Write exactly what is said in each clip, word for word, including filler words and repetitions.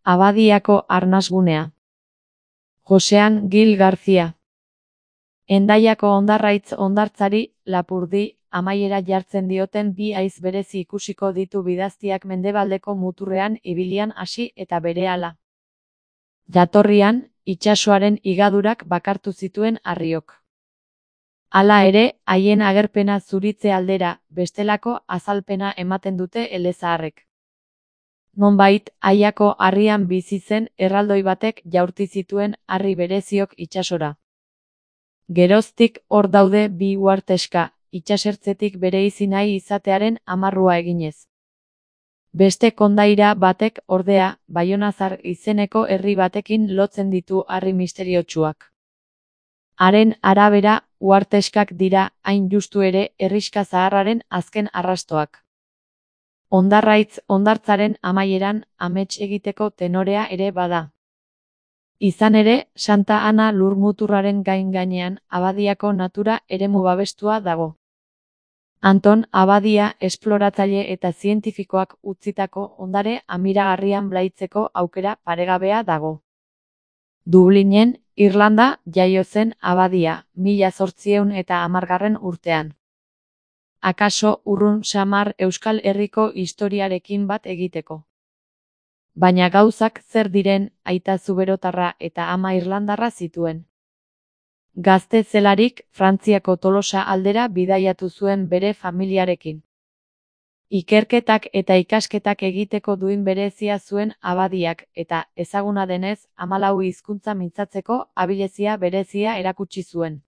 Abadiako arnasgunea. Josean Gil García. Hendaiako hondarraitz hondartzari, lapurdi, amaiera jartzen dioten bi haiz berezi ikusiko ditu bidaztiak mendebaldeko muturrean ibilian hasi eta berehala. Jatorrian, itsasoaren higadurak bakartu zituen harriok. Hala ere, haien agerpena zuritze aldera, bestelako azalpena ematen dute elezaharrek. Nonbait, Aiako harrian bizi zen erraldoi batek jaurti zituen harri bereziok itsasora. Geroztik hor daude bi uharteska, itsasertzetik bereizi nahi izatearen amarrua eginez. Beste kondaira batek, ordea, Baionazar izeneko herri batekin lotzen ditu harri misteriotsuak. Haren arabera, uharteskak dira, hain justu ere, herrixka zaharraren azken arrastoak. Hondarraitz hondartzaren amaieran, amets egiteko tenorea ere bada. Izan ere, Santa Ana lurmuturraren gain gainean, Abadiako natura eremu babestua dago. Anton Abadia esploratzaile eta zientifikoak utzitako ondare amiragarrian blaitzeko aukera paregabea dago. Dublinen, Irlanda, jaio zen Abadia, mila zortziehun eta hamargarren urtean. Akaso urrun samar Euskal Herriko historiarekin bat egiteko. Baina gauzak zer diren, aita zuberotarra eta ama irlandarra zituen. Gazte zelarik, Frantziako Tolosa aldera bidaiatu zuen bere familiarekin. Ikerketak eta ikasketak egiteko duin berezia zuen Abadiak eta, ezaguna denez, hamalau hizkuntza mintzatzeko abilezia berezia erakutsi zuen.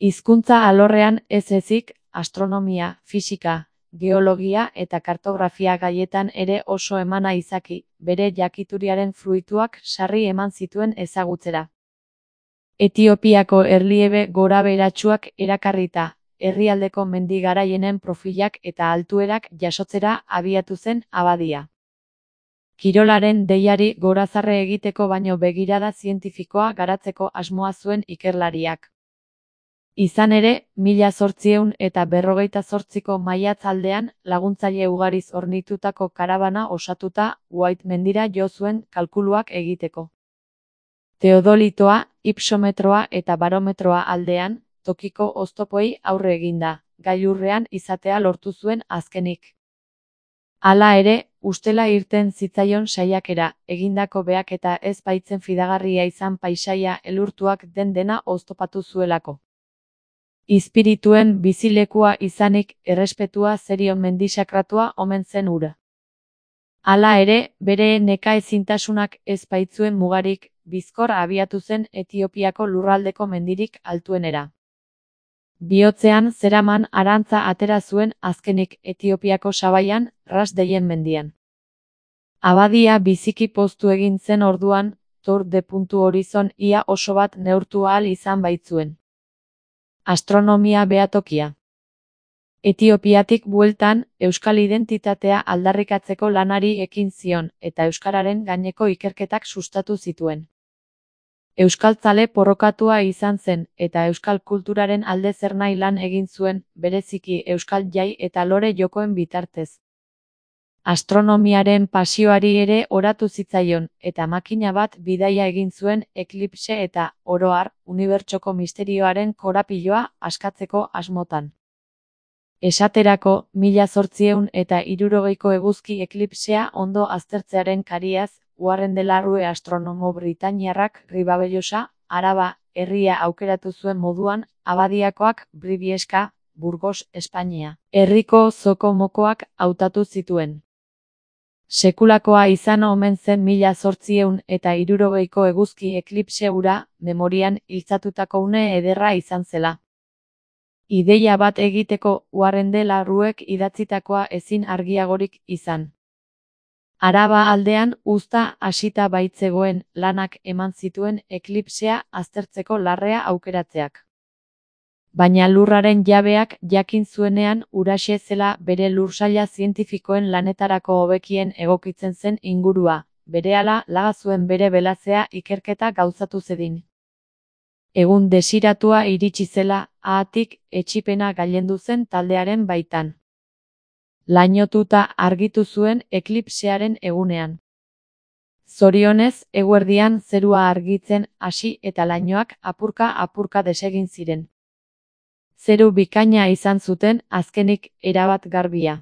Hizkuntza alorrean ez ezik, astronomia, fisika, geologia eta kartografia gaietan ere oso emana izaki, bere jakituriaren fruituak sarri eman zituen ezagutzera. Etiopiako erliebe gorabeheratsuak erakarrita, herrialdeko mendi garaienen profilak eta altuerak jasotzera abiatu zen Abadia. Kirolaren deiari gorazarre egiteko baino begirada zientifikoa garatzeko asmoa zuen ikerlariak. Izan ere, mila zortziehun eta berrogeita zortziko maiatz aldean, laguntzaile ugariz hornitutako karabana osatuta, White mendira jo zuen kalkuluak egiteko. Teodolitoa, ipsometroa eta barometroa aldean, tokiko oztopoi aurre eginda, gailurrean izatea lortu zuen azkenik. Hala ere, ustela irten zitzaion saiakera, egindako behaketa ez baitzen fidagarria izan paisaia elurtuak den dena oztopatu zuelako. Izpirituen bizilekua izanik, errespetua zerion mendisakratua omen zen hura. Hala ere, bere nekaezintasunak ez baitzuen mugarik, bizkor abiatu zen Etiopiako lurraldeko mendirik altuenera. Bihotzean zeraman arantza atera zuen azkenik Etiopiako sabaian, Ras deien mendian. Abadia biziki poztu egin zen orduan, Tour de puntu horizon ia oso bat neurtu ahal izan baitzuen. Astronomia behatokia. Etiopiatik bueltan, euskal identitatea aldarrikatzeko lanari ekin zion, eta euskararen gaineko ikerketak sustatu zituen. Euskaltzale porrokatua izan zen, eta euskal kulturaren alde zernahi lan egin zuen, bereziki euskal jai eta lore jokoen bitartez. Astronomiaren pasioari ere oratu zitzaion, eta makina bat bidaia egin zuen eklipse eta, oro har, unibertsoko misterioaren korapiloa askatzeko asmotan. Esaterako, mila zortziehun eta hirurogeiko eguzki eklipsea ondo aztertzearen kariaz, Warren de la Rue astronomo britainiarrak Ribabellosa, Araba, herria aukeratu zuen moduan, Abadiakoak Bribieska, Burgos, Espainia, herriko zoko-mokoak hautatu zituen. Sekulakoa izan omen zen mila zortziehun eta hirurogeiko eguzki eklipse hura, memorian iltzatutako une ederra izan zela. Ideia bat egiteko Warren de la Ruek idatzitakoa ezin argiagorik izan. Araba aldean uzta hasita baitzegoen lanak eman zituen eklipsea aztertzeko larrea aukeratzeak. Baina lurraren jabeak jakin zuenean huraxe zela bere lursaila zientifikoen lanetarako hobekien egokitzen zen ingurua, berehala laga zuen bere belazea ikerketa gauzatu zedin. Egun desiratua iritsi zela, haatik etsipena gailendu zen taldearen baitan. Lainotuta argitu zuen eklipsearen egunean. Zorionez, eguerdian zerua argitzen hasi eta lainoak apurka-apurka desegin ziren. Zeru bikaina izan zuten, azkenik erabat garbia.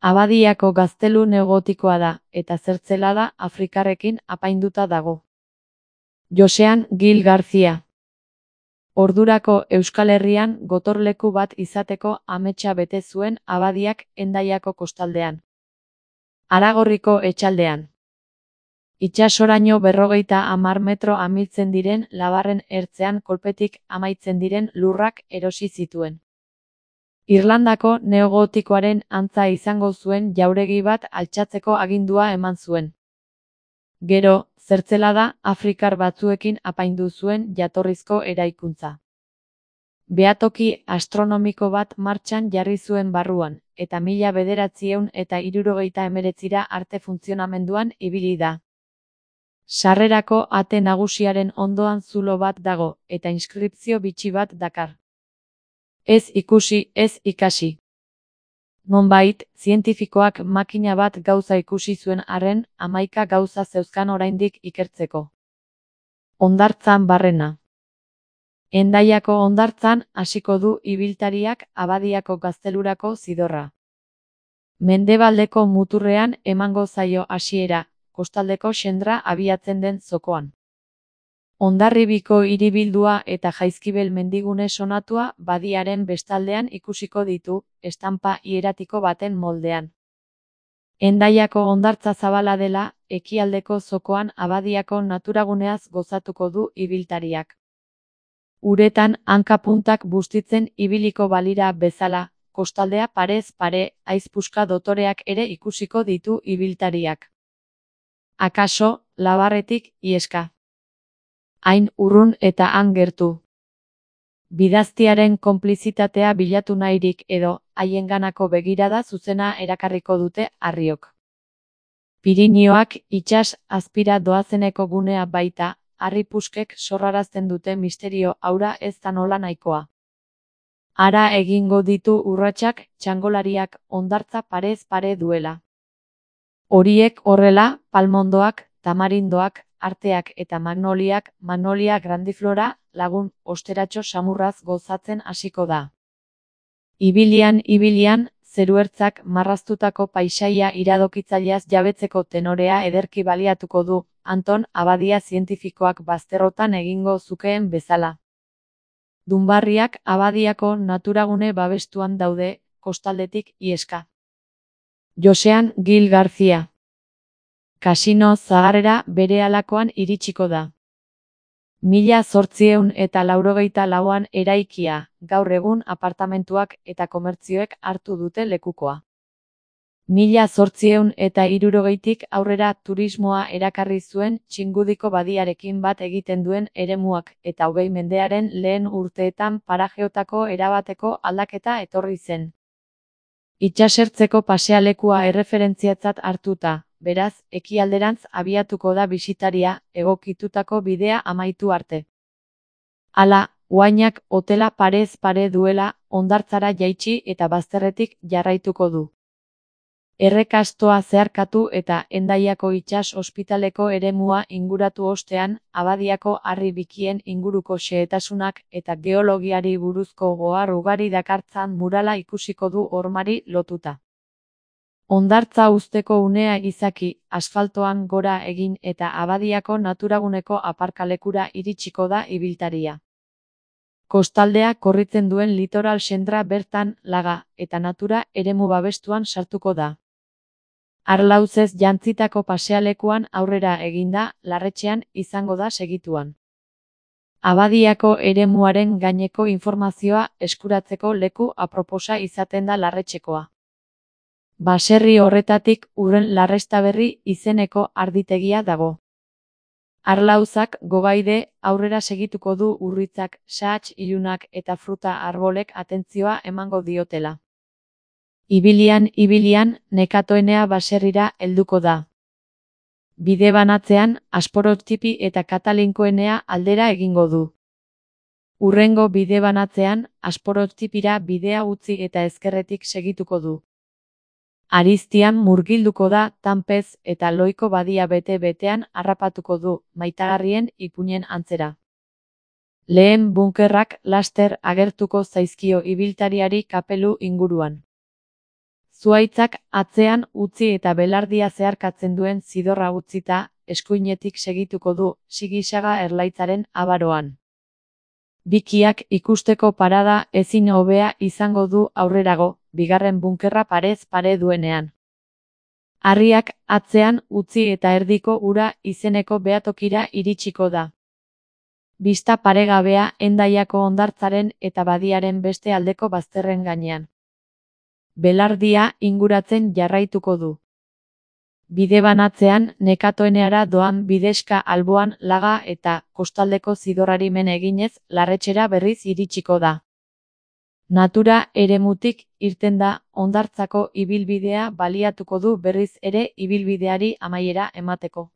Abadiako gaztelu neogotikoa da, eta zertzelada afrikarrekin apainduta dago. Josean Gil Garcia. Ordurako Euskal Herrian gotorleku bat izateko ametsa bete zuen Abadiak Hendaiako kostaldean. Aragorriko etxaldean. Itsasoraino berrogeita hamar metro amiltzen diren labarren ertzean kolpetik amaitzen diren lurrak erosi zituen. Irlandako neogotikoaren antza izango zuen jauregi bat altxatzeko agindua eman zuen. Gero, zertzelada afrikar batzuekin apaindu zuen jatorrizko eraikuntza. Behatoki astronomiko bat martxan jarri zuen barruan, eta mila bederatziehun eta hirurogeita hemeretzira arte funtzionamenduan ibili da. Sarrerako ate nagusiaren ondoan zulo bat dago, eta inskripzio bitxi bat dakar. Ez ikusi, ez ikasi. Nonbait, zientifikoak makina bat gauza ikusi zuen arren, hamaika gauza zeuzkan oraindik ikertzeko. Hondartzan barrena. Hendaiako hondartzan hasiko du ibiltariak Abadiako gaztelurako zidorra. Mendebaldeko muturrean emango zaio hasiera, kostaldeko xendra abiatzen den zokoan. Hondarribiko hiribildua eta Jaizkibel mendigune sonatua badiaren bestaldean ikusiko ditu, estanpa hieratiko baten moldean. Hendaiako hondartza zabala dela, ekialdeko zokoan Abadiako naturaguneaz gozatuko du ibiltariak. Uretan hanka-puntak bustitzen ibiliko balira bezala, kostaldea parez pare, haizpuska dotoreak ere ikusiko ditu ibiltariak. Akaso, labarretik ieska. Hain urrun eta han gertu. Bidaztiaren konplizitatea bilatu nahirik edo, haienganako begirada zuzena erakarriko dute harriok. Pirinioak itsas azpira doazeneko gunea baita, harripuskek sorrarazten dute misterio aura ez da nola nahikoa. Hara egingo ditu urratsak txangolariak hondartza parez pare duela. Horiek horrela, palmondoak, tamarindoak, arteak eta magnoliak, magnolia grandiflora, lagun osteratxo samurraz gozatzen hasiko da. Ibilian, ibilian, zeruertzak marraztutako paisaia iradokitzaileaz jabetzeko tenorea ederki baliatuko du, Anton Abadia zientifikoak bazterrotan egingo zukeen bezala. Dunbarriak Abadiako naturagune babestuan daude, kostaldetik ieska. Josean Gil Garcia. Kasino zaharrera berehalakoan iritsiko da. Mila zortziehun eta laurogeita lauan eraikia, gaur egun apartamentuak eta komertzioek hartu dute lekukoa. Mila zortziehun eta hirurogeitik aurrera turismoa erakarri zuen Txingudiko badiarekin bat egiten duen eremuak eta hogei mendearen lehen urteetan parajeotako erabateko aldaketa etorri zen. Itsasertzeko pasealekua erreferentziatzat hartuta, beraz, ekialderantz abiatuko da bisitaria, egokitutako bidea amaitu arte. Hala, Oainak hotela parez pare duela, hondartzara jaitsi eta bazterretik jarraituko du. Errekastoa zeharkatu eta Hendaiako itsas ospitaleko eremua inguratu ostean, Abadiako harri bikien inguruko xehetasunak eta geologiari buruzko ohar ugari dakartzan murala ikusiko du hormari lotuta. Hondartza uzteko unea izaki, asfaltoan gora egin eta Abadiako naturaguneko aparkalekura iritsiko da ibiltaria. Kostaldea korritzen duen litoral xendra bertan laga eta natura eremu babestuan sartuko da. Arlauzez jantzitako pasealekuan aurrera eginda, Larretxean izango da segituan. Abadiako eremuaren gaineko informazioa eskuratzeko leku aproposa izaten da Larretxekoa. Baserri horretatik Urren Larrestaberri izeneko arditegia dago. Arlauzak gogaide aurrera segituko du urritzak, sahats ilunak eta fruta arbolek atentzioa emango diotela. Ibilian, ibilian, nekatoenea baserrira helduko da. Bide banatzean, Asporotipi eta Katalinkoenea aldera egingo du. Urrengo bide banatzean, Asporotipira bidea utzi eta ezkerretik segituko du. Ariztian murgilduko da Tanpez eta Loiko badia bete-betean harrapatuko du, maitagarrien ipuinen antzera. Lehen bunkerrak laster agertuko zaizkio ibiltariari kapelu inguruan. Zuhaitzak atzean utzi eta belardia zeharkatzen duen zidorra utzita, eskuinetik segituko du, Sigisaga erlaitzaren abaroan. Bikiak ikusteko parada ezin hobea izango du aurrerago, bigarren bunkerra parez pare duenean. Harriak atzean utzi eta erdiko ura izeneko behatokira iritsiko da. Bista paregabea Hendaiako hondartzaren eta badiaren beste aldeko bazterren gainean. Belardia inguratzen jarraituko du. Bide banatzean nekatoeneara doan bidexka alboan laga eta kostaldeko zidorrari men eginez Larretxera berriz iritsiko da. Natura eremutik irten da hondartzako ibilbidea baliatuko du berriz ere ibilbideari amaiera emateko.